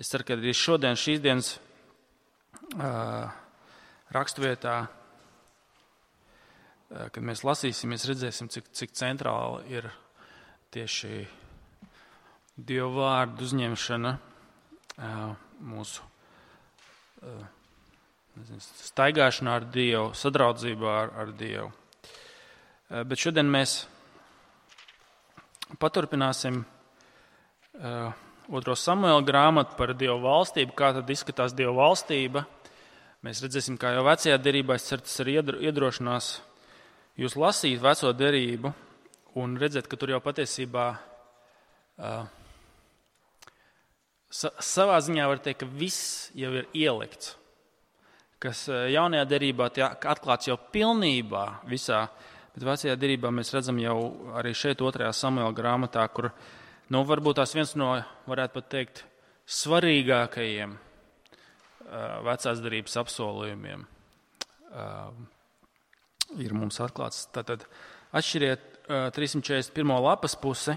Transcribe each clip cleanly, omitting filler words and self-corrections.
Es ceru, ka arī šodien, šīs dienas raksturvietā, kad mēs lasīsim, mēs redzēsim, cik centrāla ir tieši Dieva vārdu uzņemšana mūsu staigāšanā ar Dievu, sadraudzībā ar Dievu. Bet šodien mēs paturpināsim 2. Samuela grāmatu par Dieva valstību, kā tad izskatās Dieva valstība. Mēs redzēsim, kā jau vecajā derībā, es ceru, tas arī iedrošinās jūs lasīt veco derību un redzēt, ka tur jau patiesībā savā ziņā var teikt, ka viss jau ir ielikts, kas jaunajā derībā tiek atklāts jau pilnībā visā, bet vecajā derībā mēs redzam jau arī šeit 2. Samuela grāmatā, kur varbūt tās viens no, varētu pat teikt, svarīgākajiem vecās derības apsolījumiem ir mums atklāts. Tātad atšķiriet 341. lapas pusi.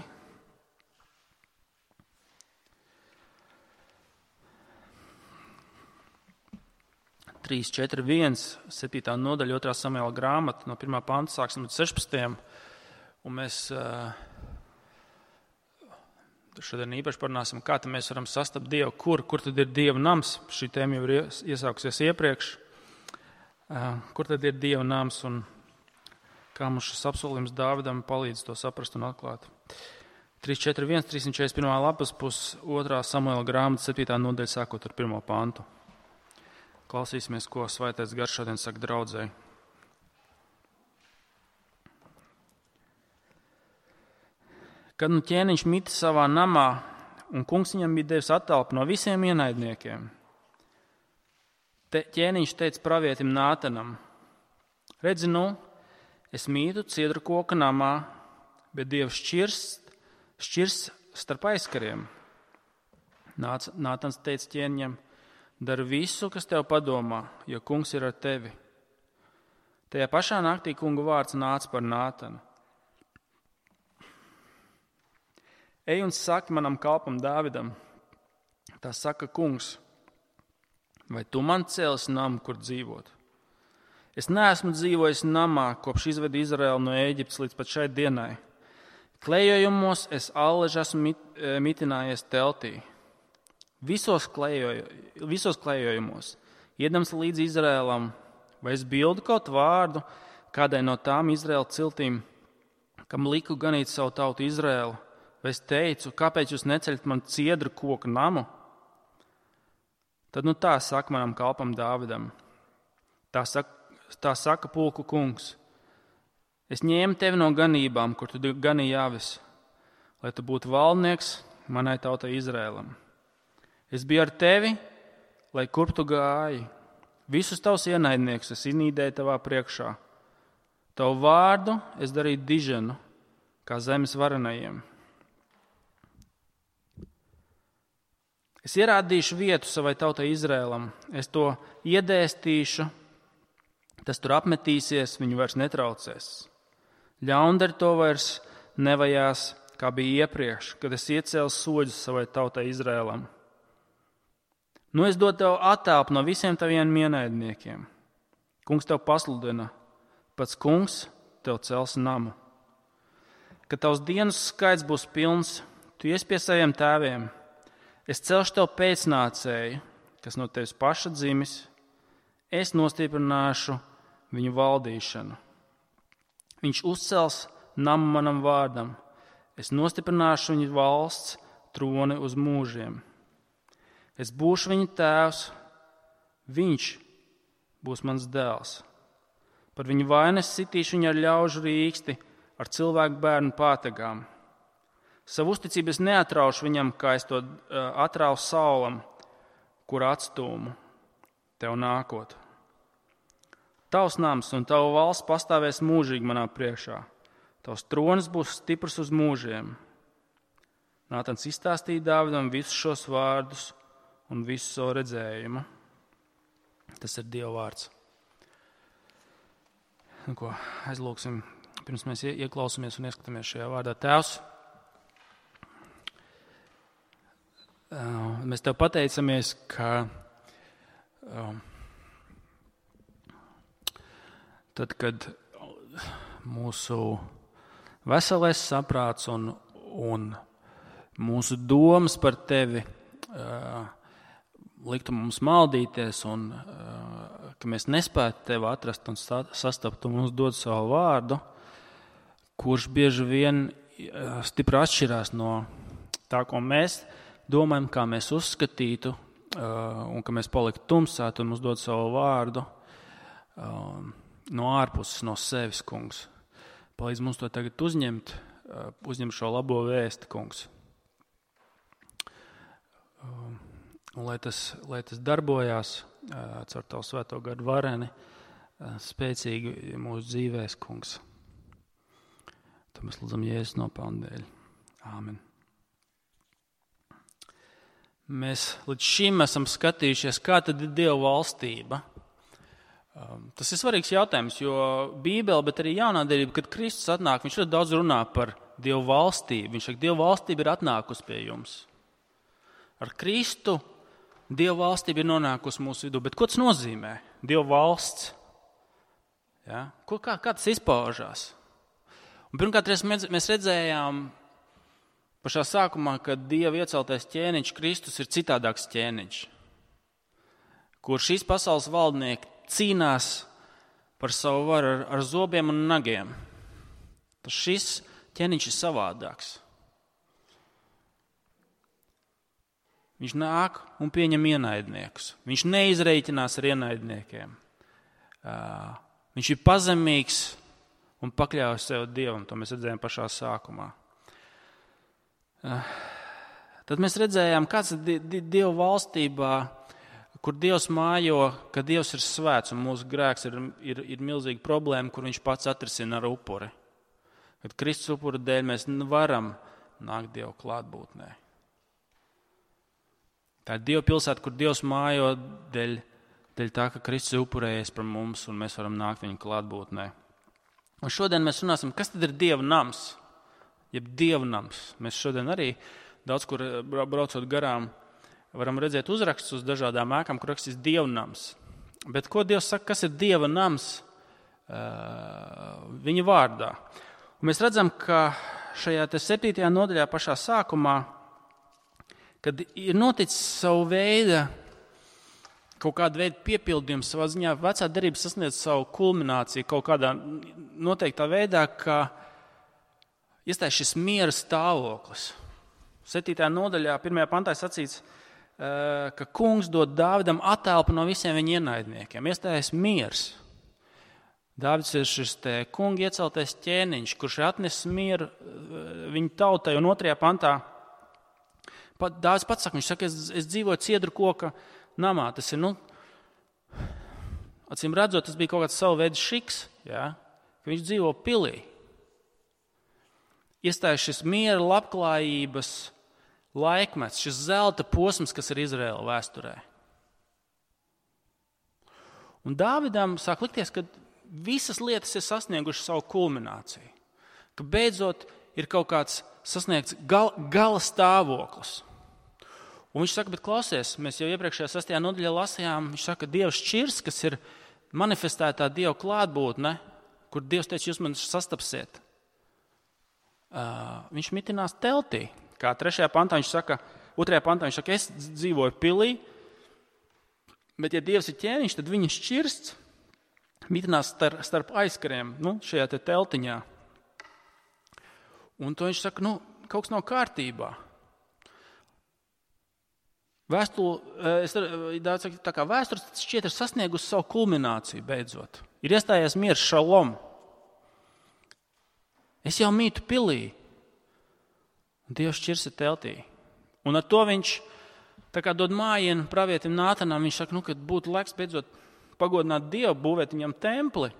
Trīs, 4, 1, 7. nodaļa, 2. Samuela grāmata, no 1. panta sāksim līdz 16. Un mēs šodien īpaši parunāsim, kā mēs varam sastapt Dievu, kur tad ir Dieva nams. Šī tēma jau ir iesākusies iepriekš. Kur tad ir Dieva nams un kā mums šis apsolījums Dāvidam palīdz to saprast un atklāt. 3, 4, 1, 341. lapas puses, 2. Samuela grāmata, 7. nodaļa, sākot ar 1. pantu. Klausīsimies, ko Svētais Gars šodien saka draudzei. Kad ķēniņš mita savā namā, un kungs viņam bija devis attelpu no visiem ienaidniekiem, ķēniņš teica pravietim Nātanam: redzi, es mītu ciedru koka namā, bet Dievs šķirs starp aizkariem. Nātans teica ķēniņam: dari visu, kas tev padomā, jo kungs ir ar tevi. Tajā pašā naktī kunga vārds nāca par Nātanu: ej un saki manam kalpam Dāvidam, tā saka kungs, vai tu man cēlsi namu, kur dzīvot? Es neesmu dzīvojis namā, kopš izvedu Izraēlu no Ēģiptes līdz pat šai dienai. Klejojumos es allaž esmu mitinājies teltī. Visos klejojumos, iedams līdz Izraēlam, vai es bildu kaut vārdu kādai no tām Izraēla ciltīm, kam liku ganīt savu tautu Izraēlu, vai es teicu, kāpēc jūs neceļat man ciedru koku namu? Tad tā saka manam kalpam Dāvidam. Tā saka pulku kungs: es ņēmu tevi no ganībām, kur tu ganīji avis, lai tu būtu valdnieks manai tautai Izraēlam. Es biju ar tevi, lai kurp tu gāji. Visus tavus ienaidniekus es iznīdēju tavā priekšā. Tavu vārdu es darīju diženu, kā zemes varenajiem. Es ierādīšu vietu savai tautai Izraēlam. Es to iedēstīšu, tas tur apmetīsies, viņu vairs netraucēs. Ļaundari to vairs nevajās, kā bija iepriekš, kad es iecēlu soļus savai tautai Izraēlam. Es dodu tev attelpu no visiem taviem ienaidniekiem. Kungs tev pasludina, pats kungs tev cels namu. Kad tavs dienas skaits būs pilns, tu ies pie saviem tēviem. Es celšu tev pēcnācēju, kas no tevis paša dzimis. Es nostiprināšu viņu valdīšanu. Viņš uzcels namu manam vārdam. Es nostiprināšu viņu valsts troni uz mūžiem. Es būšu viņa tēvs, viņš būs mans dēls. Par viņu vainas sitīšu viņu ar ļaužu rīksti, ar cilvēku bērnu pātagām. Savu uzticību es neatraušu viņam, kā es to atrauju Saulam, kur atstūmu tev nākot. Tavs nams un tava valsts pastāvēs mūžīgi manā priekšā. Tavs tronis būs stiprs uz mūžiem. Nātans izstāstīja Dāvidam visus šos vārdus un visu savu redzējumu. Tas ir Dieva vārds. Aizlūksim, pirms mēs ieklausāmies un ieskatāmies šajā vārdā. Tēvs, Mēs tev pateicamies, ka tad, kad mūsu veselais saprāts un mūsu domas par tevi liktu mums maldīties un ka mēs nespētu tevi atrast un sastapt un mums dod savu vārdu, kurš bieži vien stipri atšķirās no tā, ko mēs domājam, kā mēs uzskatītu, un ka mēs paliktu tumsāti un mums dod savu vārdu no ārpuses, no sevis, kungs. Palīdz mums to tagad uzņemt šo labo vēsti, kungs. Un lai tas darbojās caur tavu svēto garu vareni spēcīgi mūsu dzīvēs, kungs. To mēs lūdzam Jēzus nopelnu dēļ. Āmen. Mēs līdz šim esam skatījušies, kā tad ir Dieva valstība. Tas ir svarīgs jautājums, jo Bībele, bet arī jaunā derība, kad Kristus atnāk, viņš ļoti daudz runā par Dieva valstību. Viņš saka, Dieva valstība ir atnākusi pie jums. Ar Kristu Dieva valstība ir nonākusi mūsu vidū. Bet ko tas nozīmē? Dieva valsts. Ja? Kā tas izpaužās? Un pirmkārt, mēs redzējām pašā sākumā, ka Dieva ieceltais ķēniņš Kristus ir citādāks ķēniņš, kur šīs pasaules valdnieki cīnās par savu varu ar zobiem un nagiem. Tas šis ķēniņš ir savādāks. Viņš nāk un pieņem ienaidniekus. Viņš neizreikinās ar ienaidniekiem. Viņš ir pazemīgs un pakļaujas sev Dievam. To mēs redzējām pašā sākumā. Tad mēs redzējām, kāds ir Dieva valstībā, kur Dievs mājo, ka Dievs ir svēts un mūsu grēks ir milzīga problēma, kur viņš pats atrisina ar upuri. Kad Kristus upura dēļ mēs varam nākt Dievu klātbūtnē. Tā ir Dieva pilsēta, kur Dievs mājo dēļ tā, ka Kristus ir upurējies par mums un mēs varam nākt viņa klātbūtnē. Un šodien mēs runāsim, kas tad ir Dieva nams, jeb Dieva nams. Mēs šodien arī daudz kur braucot garām varam redzēt uzrakstus uz dažādām ēkām, kur rakstīts Dieva nams. Bet ko Dievs saka, kas ir Dieva nams viņa vārdā? Un mēs redzam, ka šajā 7. nodaļā pašā sākumā, kad ir noticis savu veidu, kaut kāda veida piepildījums savā ziņā, vecā derība sasniedz savu kulmināciju kaut kādā noteiktā veidā, ka iestājas šis miera stāvoklis. 7. nodaļā, 1. pantā sacīts, ka kungs dod Dāvidam attelpu no visiem viņa ienaidniekiem. Iestājas miers. Dāvids ir šis kunga ieceltais ķēniņš, kurš atnes mieru viņa tautai, un 2. pantā Dāvids pats saka, viņš saka, es dzīvoju ciedru koka namā. Tas ir, acīm redzot, tas bija kaut kāds savu veidu šiks, ja? Ka viņš dzīvo pilī. Iestājas šis miera, labklājības laikmets, šis zelta posms, kas ir Izraēla vēsturē. Un Dāvidam sāk likties, ka visas lietas ir sasniegušas savu kulmināciju. Ka beidzot ir kaut kāds sasniegts gala stāvoklis. Un viņš saka, bet klausies, mēs jau iepriekšējā 6. nodaļā lasījām, viņš saka, ka Dieva šķirs, kas ir manifestētā Dieva klātbūtne, kur Dievs teica, jūs man sastapsiet. Viņš mitinās teltī. Kā 3. pantā viņš saka, 2. pantā viņš saka, es dzīvoju pilī, bet ja Dievs ir ķēniņš, tad viņa šķirsts mitinās starp aizkariem, šajā te teltiņā. Un to viņš saka, kaut kas nav kārtībā. Vēsture šķiet ir sasniegusi savu kulmināciju beidzot. Ir iestājies miers, šalom. Es jau mītu pilī. Un Dievs šķirs ir teltī. Un ar to viņš tā kā dod mājienu pravietim Nātanam. Viņš saka, ka būtu laiks beidzot pagodināt Dievu, būvēt viņam templi.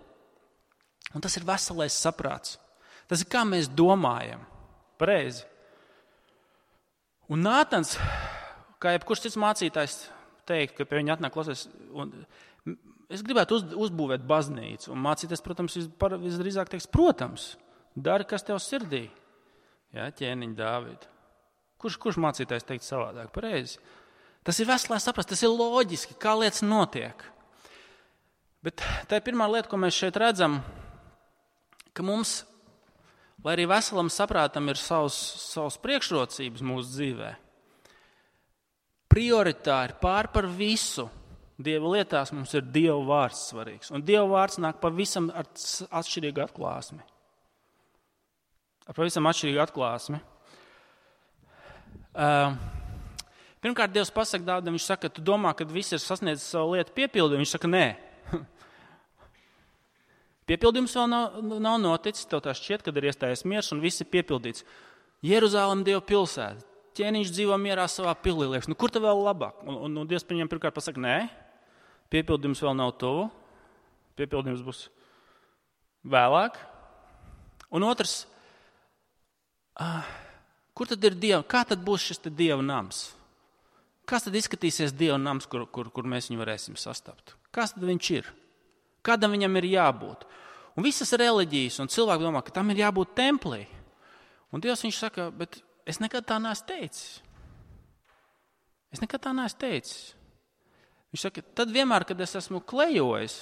Un tas ir veselais saprāts. Tas ir kā mēs domājam. Pareizi. Un Nātans, kā jebkurš cits mācītājs teikt, ka pie viņa atnāk klausies, es gribētu uzbūvēt baznīcu. Un mācītājs, protams, visdrīzāk teiks, protams, dari, kas tev sirdī. Jā, ķēniņ Dāvid. Kurš mācītājs teikt savādāk? Pareizi. Tas ir veselē saprast, tas ir loģiski, kā lietas notiek. Bet tā ir pirmā lieta, ko mēs šeit redzam, ka mums, lai arī veselam saprātam ir savas priekšrocības mūsu dzīvē, prioritāri pār par visu Dieva lietās mums ir Dieva vārds svarīgs. Un Dieva vārds nāk pavisam ar atšķirīgu atklāsmi. Pirmkārt, Dievs pasaka Dāvidam, viņš saka, tu domā, ka viss ir sasniedzis savu lietu piepildījumu. Viņš saka, nē. Piepildījums vēl nav noticis, tev tā šķiet, kad ir iestājies miers un viss ir piepildīts. Jeruzalem Dieva pilsēta, ķēniņš dzīvo mierā savā pilī, liekas, kur tev vēl labāk? Un Dievs viņam pirmkārt pasaka, nē, piepildījums vēl nav tuvu, piepildījums būs vēlāk. Un otrs, kur tad ir Dieva, kā tad būs šis Dieva nams? Kāds tad izskatīsies Dieva nams, kur mēs viņu varēsim sastapt? Kāds tad viņš ir? Kādam viņam ir jābūt? Un visas reliģijas un cilvēki domā, ka tam ir jābūt templī. Un Dievs viņš saka, bet es nekad tā neesmu teicis. Viņš saka, tad vienmēr, kad es esmu klejojis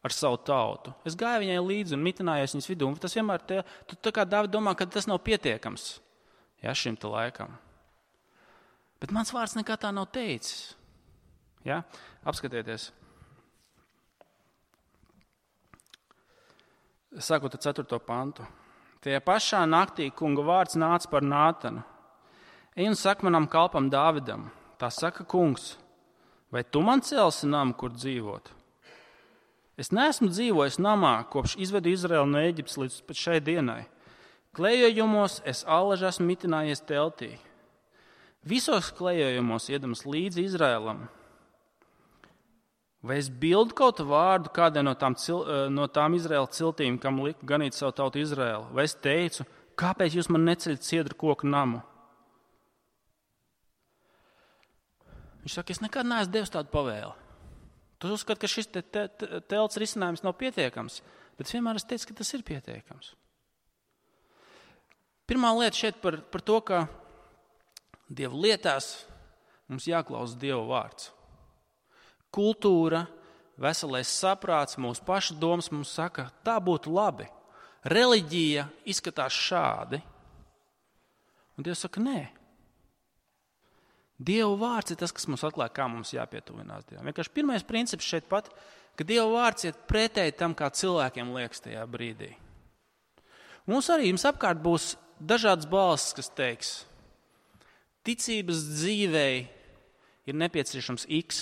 ar savu tautu, es gāju viņai līdzi un mitinājos viņas vidū. Tas vienmēr tu tā kā Dāvid domā, ka tas nav pietiekams šim te laikam. Bet mans vārds nekā tā nav teicis. Ja? Apskatieties. Sākot ar 4. pantu. Tajā pašā naktī kunga vārds nāca par Nātanu. Ej un saka manam kalpam Dāvidam, tā saka kungs, vai tu man celsi namu, kur dzīvot? Es neesmu dzīvojis namā, kopš izvedu Izraelu no Ēģiptes līdz pat šai dienai. Klejojumos es allaž esmu mitinājies teltī. Visos klejojumos iedams līdzi Izraēlam. Vai es bildu kaut vārdu kādai no tām Izraēla ciltīm, kam liku ganīt savu tautu Izraēlu? Vai es teicu, kāpēc jūs man neceļat ciedru koku namu? Viņš saka, es nekad neesmu devis tādu pavēli. Tu uzskati, ka šis telts risinājums nav pietiekams, bet vienmēr es teicu, ka tas ir pietiekams. Pirmā lieta šeit par to, ka Dieva lietās mums jāklausa Dieva vārds. Kultūra, veselais saprāts, mūsu paša domas mums saka, tā būtu labi. Reliģija izskatās šādi. Un Dievs saka, nē. Dieva vārds ir tas, kas mums atklāja, kā mums jāpietuvinās Dievam. Vienkārši pirmais princips šeit pat, ka Dieva vārds iet pretēji tam, kā cilvēkiem liekas tajā brīdī. Mums arī jums apkārt būs dažādas balsis, kas teiks, ticības dzīvei ir nepieciešams X.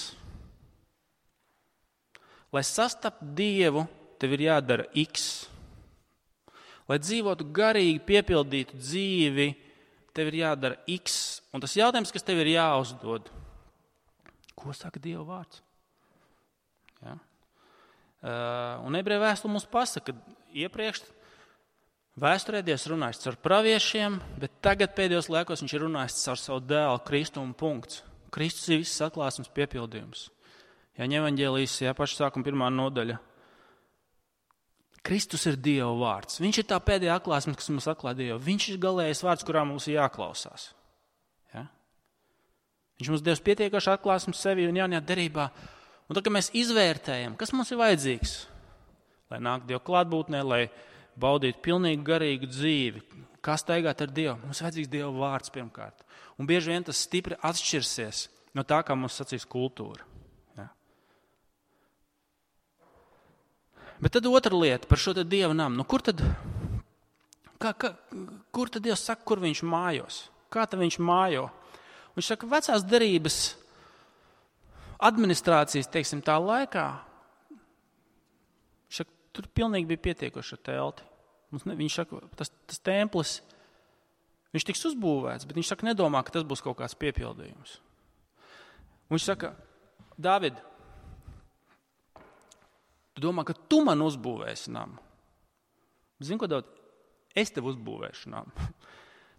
Lai sastaptu Dievu, tev ir jādara X. Lai dzīvotu garīgi, piepildītu dzīvi, tev ir jādara X. Un tas jautājums, kas tev ir jāuzdod, ko saka Dieva vārds? Ja? Un ebreju vēstule mums pasaka, ka iepriekš vēsturē Dievs runājis caur praviešiem, bet tagad pēdējos laikos viņš ir runājis caur savu dēlu Kristu un punkts. Kristus ir viss atklāsmes piepildījums. Jāņa evaņģēlijas, paša sākuma 1. nodaļa. Kristus ir Dieva vārds. Viņš ir tā pēdējā atklāsme, kas mums atklāja Dievu. Viņš ir galējais vārds, kurā mums ir jāklausās. Ja? Viņš mums devis pietiekuši atklāsmes sevi un jaunajā derībā. Un tad, kad mēs izvērtējam, kas mums ir vajadzīgs, lai nāk Dieva klātbūtnē, lai baudītu pilnīgi garīgu dzīvi, kā staigāt ar Dievu, mums vajadzīgs Dieva vārds pirmkārt. Un bieži vien tas stipri atšķirsies no tā, kā mums sacīs kultūra. Bet tad otra lieta par šo Dieva namu. Kur tad Dievs saka, kur viņš mājos? Kā tad viņš mājo? Viņš saka, vecās derības administrācijas, teiksim, tā laikā, viņš saka, tur pilnīgi bija pietiekoši ar telti. Viņš saka, tas templis, viņš tiks uzbūvēts, bet viņš saka, nedomā, ka tas būs kaut kāds piepildījums. Un viņš saka, Dāvid, tu domā, ka tu man uzbūvēsi namu. Zini, ko Dāvid? Es tev uzbūvēšu namu.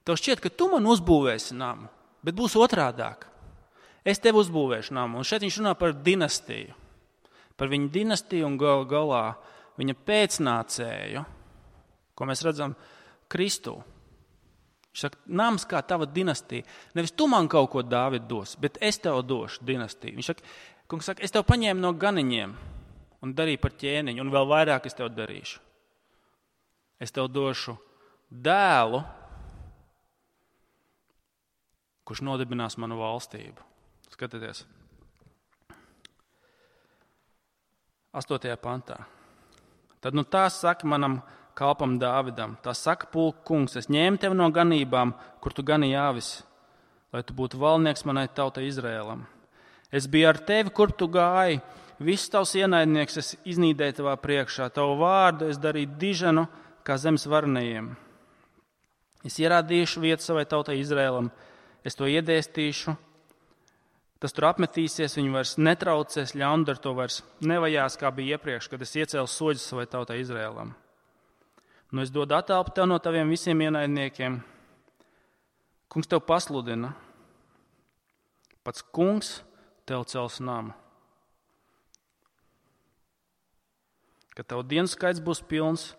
Tev šķiet, ka tu man uzbūvēsi namu, bet būs otrādāk. Es tev uzbūvēšu namu. Un šeit viņš runā par dinastiju. Par viņu dinastiju un galā viņa pēcnācēju, ko mēs redzam Kristū. Viņš saka, nams kā tava dinastija. Nevis tu man kaut ko, Dāvid, dos, bet es tev došu dinastiju. Viņš saka, kungs saka, es tev paņēmu no ganiņiem un darīju par ķēniņu, un vēl vairāk es tev darīšu. Es tev došu dēlu, kurš nodibinās manu valstību. Skatieties. 8. pantā. Tad tā saka manam kalpam Dāvidam, tā saka pulka kungs, es ņēmu tevi no ganībām, kur tu ganīji avis, lai tu būtu valdnieks manai tautai Izrēlam. Es biju ar tevi, kur tu gāji, viss tavs ienaidnieks es iznīdēju tavā priekšā, tavu vārdu es darīju diženu kā zemes varenajiem. Es ierādīšu vietu savai tautai Izrēlam, es to iedēstīšu, tas tur apmetīsies, viņu vairs netraucēs, ļaundari to vairs nevajās, kā bija iepriekš, kad es iecēlu soļus savai tautai Izrēlam. Es dodu attelpu tev no taviem visiem ienaidniekiem. Kungs tev pasludina. Pats kungs tev cels namu. Kad tev dienu skaits būs pilns,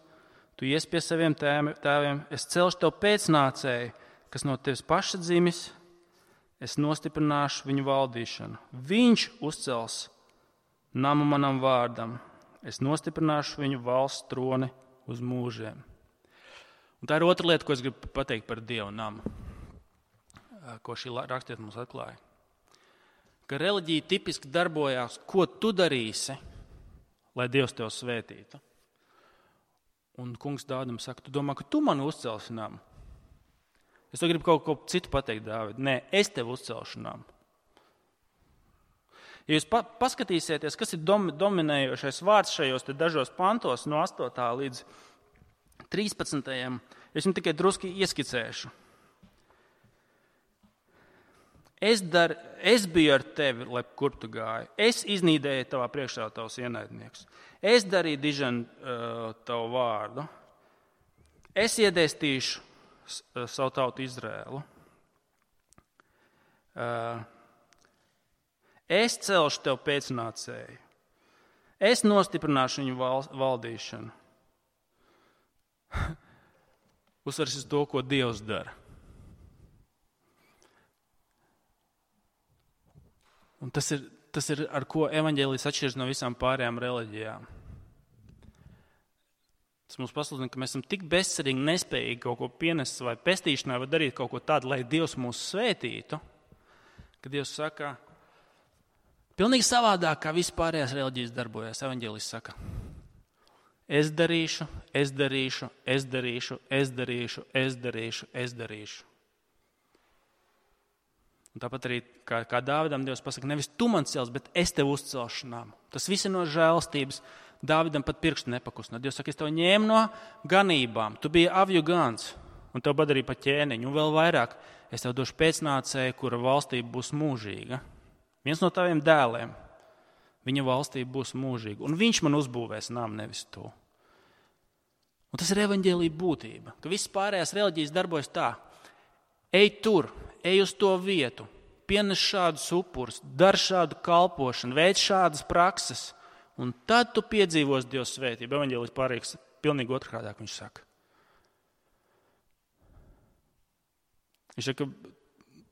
tu ies pie saviem tēviem, es celšu tev pēcnācēju, kas no tevis paša dzimis, es nostiprināšu viņu valdīšanu. Viņš uzcels namu manam vārdam, es nostiprināšu viņu valsts troni uz mūžiem. Un tā ir otra lieta, ko es gribu pateikt par Dievu namu, ko šī rakstiet mums atklāja. Ka reliģija tipiski darbojās, ko tu darīsi, lai Dievs tev svētītu. Un kungs Dāvidam saka, tu domā, ka tu man uzcelsi namu? Es to gribu kaut ko citu pateikt, Dāvid. Nē, es tev uzcelšu namu. Ja jūs paskatīsieties, kas ir dominējošais vārds šajos dažos pantos no 8. līdz 13. Es jums tikai druski ieskicēšu. Es biju ar tevi, lai kur tu gāji. Es iznīdēju tavā priekšā tavus ienaidniekus. Es darīju diženu tavu vārdu. Es iedēstīšu savu tautu Izrēlu. Es celšu tev pēcnācēju. Es nostiprināšu viņu valdīšanu. Uzsvars uz to, ko Dievs dara. Un tas ir, ar ko evaņģēlijs atšķiras no visām pārējām reliģijām. Tas mums pasludina, ka mēs esam tik bezcerīgi, nespējīgi kaut ko pienest vai pestīšanai vai darīt kaut ko tādu, lai Dievs mūs svētītu, ka Dievs saka, pilnīgi savādāk, kā vispārējās reliģijas darbojas. Evaņģēlijs saka, es darīšu, es darīšu, es darīšu, es darīšu, es darīšu, es darīšu. Un tāpat arī, kā Dāvidam Dievs pasaka, nevis tu man cels, bet es tev uzcelšu namu. Tas viss ir no žēlstības. Dāvidam pat pirkstu nepakustināt. Dievs saka, es tev ņēmu no ganībām. Tu biji avju gans, un tev padarīju par ķēniņu. Un vēl vairāk, es tev došu pēcnācēju, kura valstība būs mūžīga. Viens no taviem dēliem, viņa valstība būs mūžīga. Un viņš man uzbūvēs namu, nevis tu. Un tas ir evaņģēlija būtība, ka viss pārējās reliģijas darbojas tā. Ej tur, ej uz to vietu, pienes šādus upurus, dar šādu kalpošanu, veic šādas prakses, un tad tu piedzīvos Dieva svētību. Evaņģēlijs pārīgs pilnīgi otrādāk, viņš saka. Viņš saka,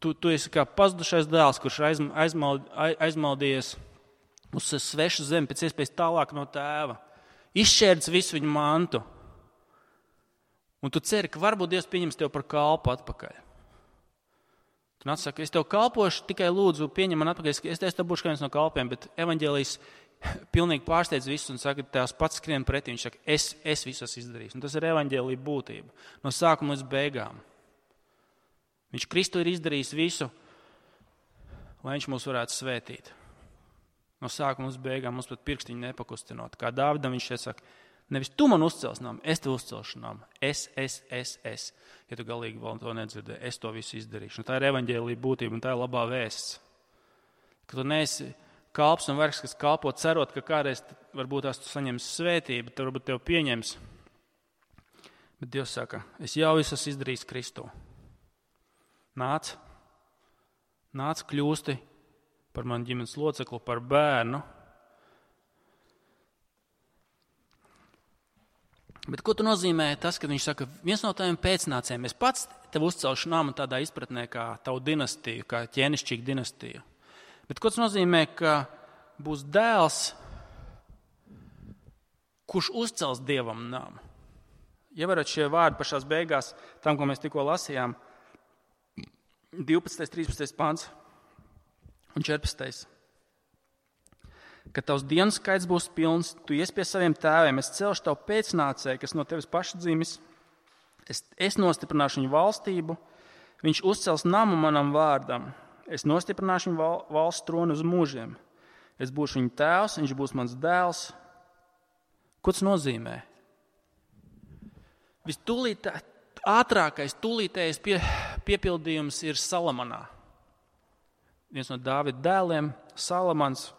tu esi kā pazudušais dēls, kurš aizmaldījies uz svešu zemi pēc iespējas tālāk no tēva. Izšķērdis visu viņu mantu. Un tu ceri, ka varbūt Dievs pieņems tev par kalpu atpakaļ. Tu nāc saka, es tev kalpošu, tikai lūdzu pieņem man atpakaļ, es tev būšu kā viens no kalpiem, bet evaņģēlijs pilnīgi pārsteidz visus un saka, tās pats skrien pretī. Viņš saka, es visu esmu izdarījis. Un tas ir evaņģēlija būtība. No sākuma līdz beigām. Viņš Kristu ir izdarījis visu, lai viņš mūs varētu svētīt. No sākuma līdz beigām mums pat pirkstiņu nepakustinot. Kā Dāvidam viņš šeit saka, nevis tu man uzcels namu, es tev uzcelšu namu. Es. Ja tu galīgi vēl to nedzirdēji, es to visu izdarīšu. Un tā ir evaņģēlija būtība un tā ir labā vēsts. Ka tu neesi kalps un vergs, kas kalpo cerot, ka kādreiz varbūt tās tu saņemsi svētību, tad varbūt tev pieņems. Bet Dievs saka, es jau visu esmu izdarījis Kristu. Nāc, kļūsti par manu ģimenes locekli, par bērnu. Bet ko tu nozīmē tas, kad viņš saka, viens no taviem pēcnācējiem, es pats tev uzcelšu namu tādā izpratnē kā tavu dinastiju, kā ķēnišķīgu dinastiju. Bet ko tas nozīmē, ka būs dēls, kurš uzcels Dievam namu? Ievarot šie vārdi pašās beigās, tam, ko mēs tikko lasījām, 12, 13 pants un 14. Kad tavs dienu skaits būs pilns, tu ies pie saviem tēviem, es celšu tavu pēcnācēju, kas no tevis paša dzimis, es nostiprināšu viņu valstību, viņš uzcels namu manam vārdam, es nostiprināšu viņu valsts tronu uz mūžiem, es būšu viņa tēvs, viņš būs mans dēls. Ko tas nozīmē? Ātrākais, tūlītējais piepildījums ir Salamanā. Viens no Dāvida dēliem, Salamans,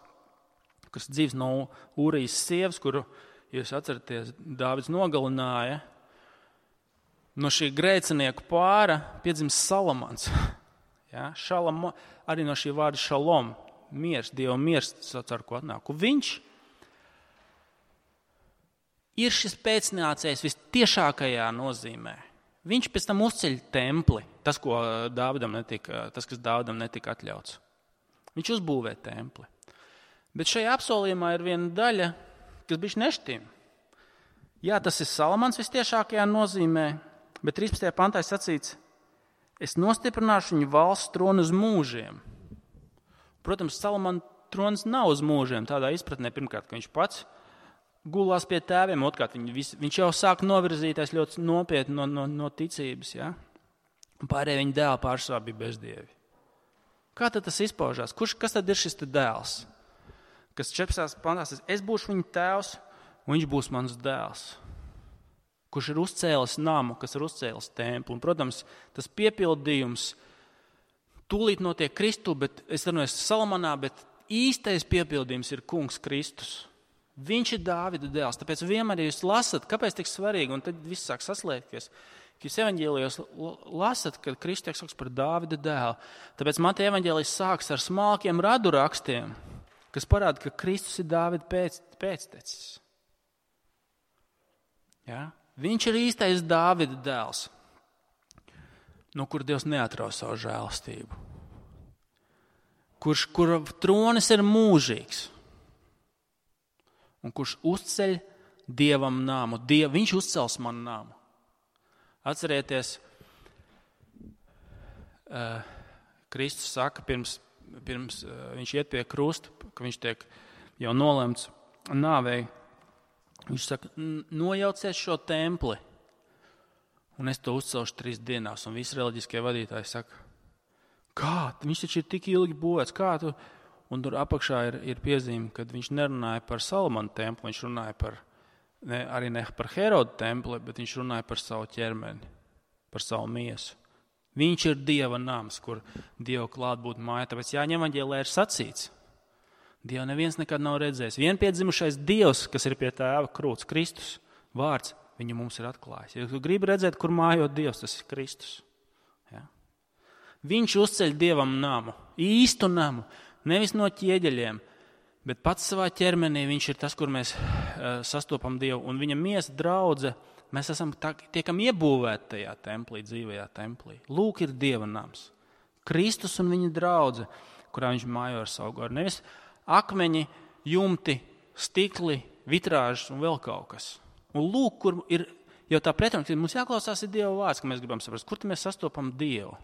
kas dzīves no Ūrijas sievas, kuru, ja jūs atceraties, Dāvids nogalināja. No šī grēcinieku pāra piedzimst Salamans. Ja? Arī no šī vārda šalom, miers, Dieva miers, ar ko atnāk. Un viņš ir šis pēcnācējs vistiešākajā nozīmē. Viņš pēc tam uzceļ templi, tas, kas Dāvidam netika atļauts. Viņš uzbūvē templi. Bet šajā apsolījumā ir viena daļa, kas bišķi nešķīm. Jā, tas ir Salamans vistiešākajā nozīmē, bet 13. pantā sacīts, es nostiprināšu viņu valsts tronu uz mūžiem. Protams, Salamana trons nav uz mūžiem, tādā izpratnē, pirmkārt, ka viņš pats gulās pie tēviem, otrkārt, viņš jau sāk novirzīties ļoti nopietni no ticības, ja? Un pārējie viņa dēli pārsvarā bija bezdievi. Kā tad tas izpaužās? Kas tad ir šis dēls? Kas 14. pantā saka, es būšu viņa tēvs, un viņš būs mans dēls. Kurš ir uzcēlis namu, kas ir uzcēlis templi. Un, protams, tas piepildījums tūlīt notiek Kristu, bet es runāju Salamanā, bet īstais piepildījums ir kungs Kristus. Viņš ir Dāvida dēls, tāpēc vienmēr, ja jūs lasat, kāpēc tik svarīgi, un tad viss sāk saslēgties, ka jūs evaņģēlijos lasat, kad Kristus tiek saukts par Dāvida dēlu. Tāpēc Mateja evaņģēlijs sāks ar smalkiem radu rakstiem, kas parāda, ka Kristus ir Dāvida pēctecis. Ja? Viņš ir īstais Dāvida dēls, no kura Dievs neatraus savu žēlastību. Kura tronis ir mūžīgs. Un kurš uzceļ Dievam namu. Viņš uzcels man namu. Atcerieties, Kristus saka, pirms viņš iet pie krusta, ka viņš tiek jau nolemts nāvei. Viņš saka, nojauciet šo templi, un es to uzcelšu 3 dienās. Un visi reliģiskie vadītāji saka, kā? Viņš taču ir tik ilgi būvēts, kā tu? Un tur apakšā ir piezīme, kad viņš nerunāja par Salamana templi, viņš runāja arī ne par Heroda templi, bet viņš runāja par savu ķermeni, par savu miesu. Viņš ir Dieva nams, kur Dieva klāt būtu māja. Tāpēc Jāņa evaņģēlijā ir sacīts, Dievu neviens nekad nav redzējis. Vienpiedzimušais Dievs, kas ir pie tēva krūts, Kristus, vārds, viņu mums ir atklājis. Ja tu gribi redzēt, kur mājo Dievs, tas ir Kristus. Ja? Viņš uzceļ Dievam namu, īstu namu, nevis no ķieģeļiem, bet pats savā ķermenī viņš ir tas, kur mēs sastopam Dievu. Un viņa miesa draudze, mēs tiekam iebūvēti tajā templī, dzīvajā templī. Lūk ir Dieva nams. Kristus un viņa draudze, kurā viņš mājo ar savu garu. Nevis akmeņi, jumti, stikli, vitrāžas un vēl kaut kas. Un lūk, kur ir jau tā pretruna, ka mums jāklausās ir Dieva vārds, ka mēs gribam saprast, kur mēs sastopam Dievu.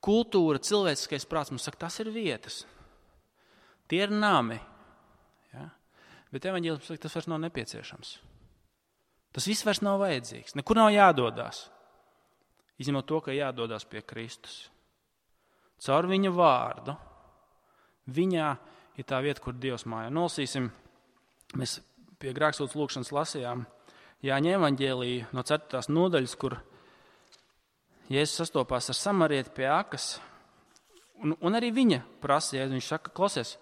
Kultūra, cilvēciskais prāts mums saka, tas ir vietas. Tie ir nami. Ja? Bet evaņģēlijs saka, tas vairs nav nepieciešams. Tas viss vairs nav vajadzīgs. Nekur nav jādodās. Izņemot to, ka jādodās pie Kristus. Caur viņa vārdu. Viņā ir tā vieta, kur Dievs māja. Nolasīsim, mēs pie grēksūdzes lūkšanas lasījām Jāņa evaņģēliju no 4. nodaļas, kur Jēzus sastopās ar samarieti pie akas, un arī viņa prasīja, viņš saka, klausies,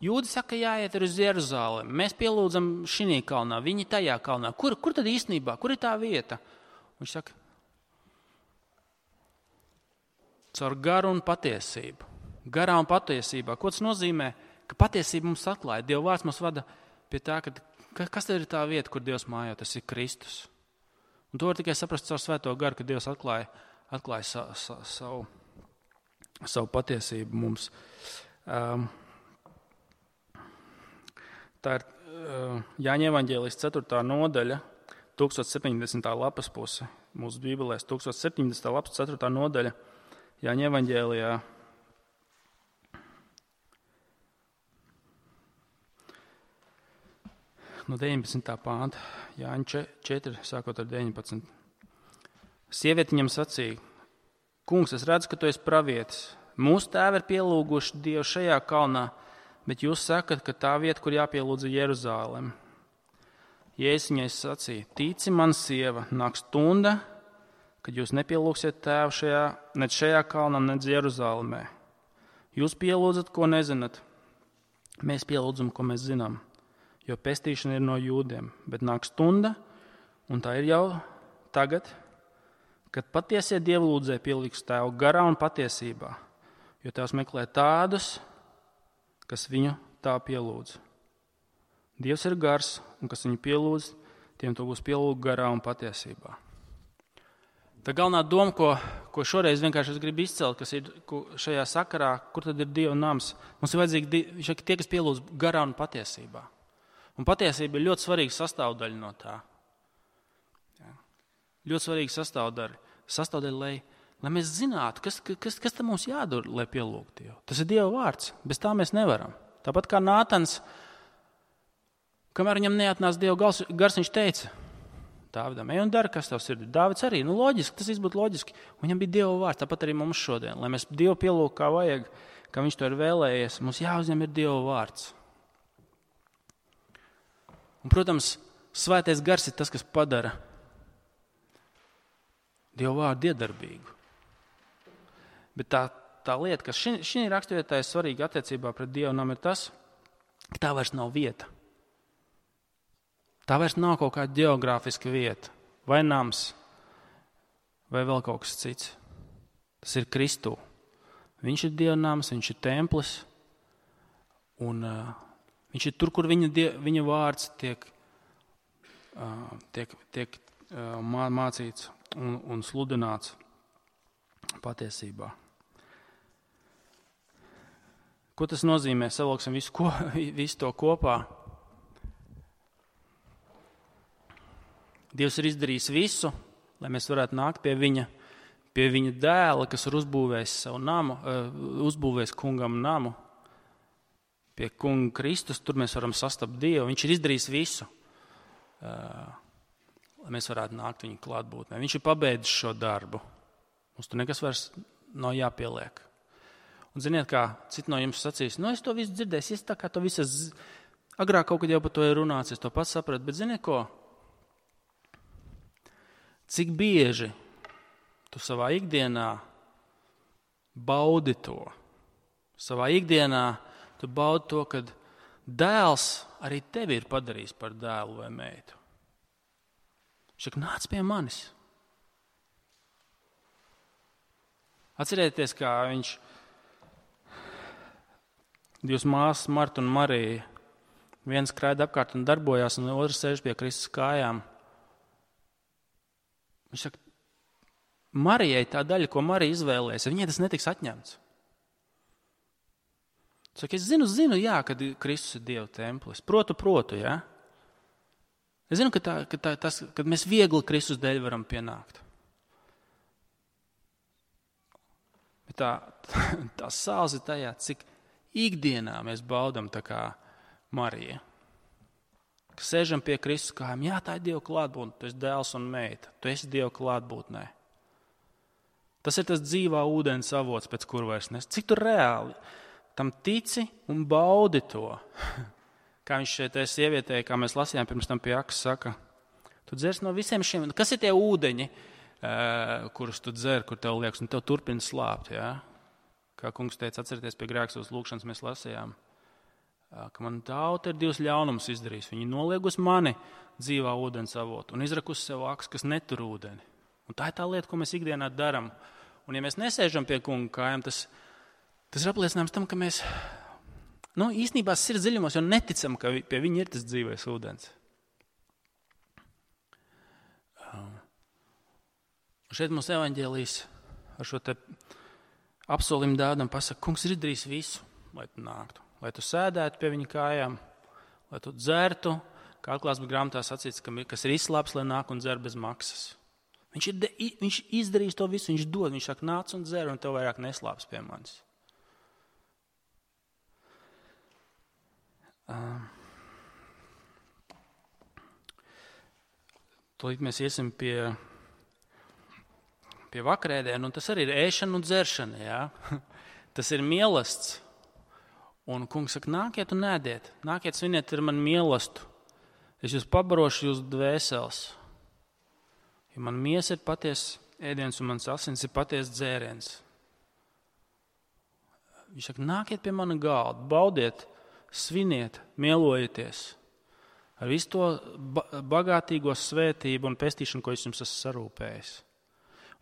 jūdi saka, jāiet uz Jeruzalemi, mēs pielūdzam šinī kalnā, viņi tajā kalnā, kur tad īstenībā, kur ir tā vieta? Viņš saka, caur garu un patiesību. Garā un patiesībā. Ko tas nozīmē? Ka patiesība mums atklāja. Dieva vārds mums vada pie tā, ka Kas tev ir tā vieta, kur Dievs mājo? Tas ir Kristus. Un to var tikai saprast caur Svēto garu, ka Dievs atklāja savu patiesību mums. Tā ir Jāņa evaņģēlijas 4. nodaļa, 1070. lapas puse. Mūsu bībelēs 1070. lapas 4. nodaļa Jāņa evaņģēlijā. No 19. pānta, Jāņa 4, sākot ar 19. Sieviete viņam sacīja: Kungs, es redzu, ka tu esi pravietis. Mūsu tēvi ir pielūguši Dievu šajā kalnā, bet jūs sakat, ka tā vieta, kur jāpielūdz, ir Jeruzālem. Jēzus viņai sacīja: Tici man, sieva, nāk stunda, kad jūs nepielūgsiet tēvu ne šajā kalnā, ne Jeruzālemē. Jūs pielūdzat, ko nezināt. Mēs pielūdzam, ko mēs zinām. Jo pestīšana ir no jūdiem, bet nāk stunda, un tā ir jau tagad, kad patiesie dievlūdzēji pieliks tēvu garā un patiesībā, jo tēvs meklē tādus, kas viņu tā pielūdz. Dievs ir gars, un kas viņu pielūdz, tiem to būs pielūgt garā un patiesībā. Tā galvenā doma, ko šoreiz vienkārši es gribu izcelt, kas ir šajā sakarā, kur tad ir Dieva nams, mums ir vajadzīgi tie, kas pielūdz garā un patiesībā. Un patiesība ir ļoti svarīga sastāvdaļa no tā. Ja. Ļoti svarīga sastāvdaļa, lai mēs zinātu, kas tam mums jādara, lai pielūgtu Dievu. Tas ir Dieva vārds, bez tā mēs nevaram. Tāpat kā Nātans, kamēr viņam neatnāca Dieva gars, viņš teica Dāvidam: ej un dara, kas tev sirdī. Dāvids arī, loģiski, tas būtu loģiski. Un viņam bija Dieva vārds, tāpat arī mums šodien. Lai mēs Dievu pielūgtu kā vajag, kā viņš to ir vēlējies, mums jāuzņem ir Dieva vārds. Un, protams, svētais gars ir tas, kas padara Dieva vārdu iedarbīgu. Bet tā lieta, kas šī raksturvietā ir svarīga attiecībā pret Dievu namu, ir tas, ka tā vairs nav vieta. Tā vairs nav kaut kāda ģeogrāfiska vieta, vai nams, vai vēl kaut kas cits. Tas ir Kristū. Viņš ir Dieva nams, viņš ir templis, un viņš ir tur, kur viņa vārds tiek mācīts un sludināts patiesībā. Ko tas nozīmē? Savilksim visu to kopā. Dievs ir izdarījis visu, lai mēs varētu nākt pie viņa dēla, kas ir uzbūvējis savu namu, uzbūvējis kungam namu. Pie kunga Kristus, tur mēs varam sastapt Dievu. Viņš ir izdarījis visu, lai mēs varētu nākt viņa klātbūtnē. Viņš ir pabeidzis šo darbu. Mums tur nekas vairs nav jāpieliek. Un ziniet, kā citi no jums sacīs, es to visu dzirdēju, es tā kā to visu agrāk kaut kad jau par to ir runāts, es to pats sapratu, bet ziniet ko? Cik bieži tu savā ikdienā baudi to? Savā ikdienā tu baudi to, kad dēls arī tevi ir padarījis par dēlu vai meitu. Viņš saka, nāc pie manis. Atcerieties, kā Divas māsas, Marta un Marija, viens skraida apkārt un darbojās, un otrs sēž pie Kristus kājām. Viņš saka, Marijai tā daļa, ko Marija izvēlēs, viņai tas netiks atņemts. Saka, es zinu, jā, kad Kristus ir Dieva templis. Protu, jā. Es zinu, kad mēs viegli Kristus dēļ varam pienākt. Bet tā sāls ir tajā, cik ikdienā mēs baudam tā kā Marija. Ka sēžam pie Kristus kājām, jā, tā ir Dieva klātbūtne, tu esi dēls un meita, tu esi Dieva klātbūtnē. Tas ir tas dzīvā ūdens avots, pēc kur vairs nes. Cik tu reāli tam tici un baudi to. Kā viņš šeit sievietē, kā mēs lasījām pirms tam pie Akas, saka, tu dzers no visiem šiem, kas ir tie ūdeņi, kurus tu dzer, kur tev liekas, un tev turpina slāpt, jā? Kā kungs teica, atcerieties pie grēksūs lūkšanas mēs lasījām, ka man tauta ir divus ļaunumus izdarījis. Viņi noliegus mani dzīvā ūdens avotu un izrakus sev akas, kas netur ūdeni. Un tā ir tā lieta, ko mēs ikdienā daram. Un ja mēs nesēžam pie kunga kājām, tas ir apliecinājums tam, ka mēs īstenībā sirds dziļumos jau neticam, ka pie viņa ir tas dzīvais ūdens. Un šeit mums evaņģēlijs ar šo te apsolījumu Dāvidam pasaka, kungs ir izdarījis visu, lai tu nāktu. Lai tu sēdētu pie viņa kājām, lai tu dzertu, kā atklāsmes grāmatā sacīts, kas ir izslāps, lai nāk un dzer bez maksas. Viņš izdarīs to visu, viņš dod, viņš saka, nāc un dzer, un tev vairāk neslāps pie manis. Tūlīt mēs iesim pie vakarēdienu, un tas arī ir ēšana un dzeršana, jā. Tas ir mielasts. Un kungs saka, nākiet un ēdiet, nākiet sviniet ar mani mielastu. Es jūs pabarošu jūs dvēseles. Jo man miesa ir patiesa ēdiens un mans asins ir patiesa dzēriens. Viņš saka, nākiet pie mana galda, baudiet, sviniet, mielojieties ar visu to bagātīgo svētību un pestīšanu, ko es jums esmu sarūpējis.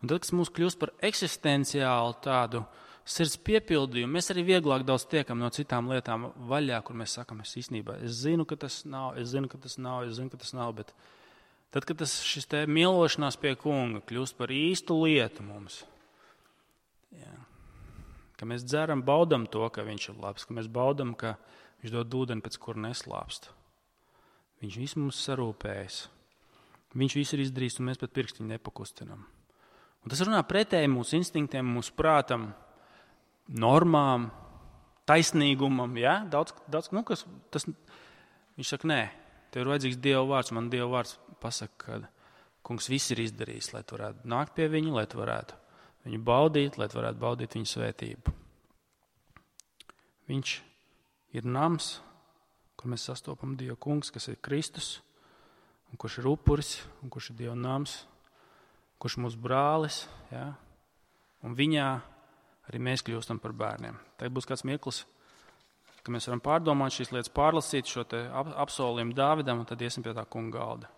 Un tad, kas mums kļūst par eksistenciālu tādu sirds piepildījumu, mēs arī vieglāk daudz tiekam no citām lietām vaļā, kur mēs sakam, es zinu, ka tas nav, bet tad, kad šis te mielošanās pie kunga kļūst par īstu lietu mums, jā, ka mēs dzeram, baudam to, ka viņš ir labs, ka mēs baudam, ka viņš dod ūdeni, pēc kura neslāpst. Viņš visu mums sarūpējas. Viņš visu ir izdarījis, un mēs pat pirkstiņu nepakustinam. Un tas runā pretēji mūsu instinktiem, mūsu prātam, normām, taisnīgumam, ja? Daudz, viņš saka, nē, tev ir vajadzīgs Dieva vārds, man Dieva vārds pasaka, ka kungs viss ir izdarījis, lai tu varētu nākt pie viņu, lai tu varētu viņu baudīt, lai tu varētu baudīt viņu svētību. Viņš ir nams, kur mēs sastopam Dievu kungs, kas ir Kristus, un kurš ir upuris, un kurš ir Dieva nams, kurš ir mūsu brālis, ja? Un viņā arī mēs kļūstam par bērniem. Tagad būs kāds mirklis, ka mēs varam pārdomāt šīs lietas, pārlasīt šo te apsolījumu Dāvidam, un tad iesim pie tā kunga galda.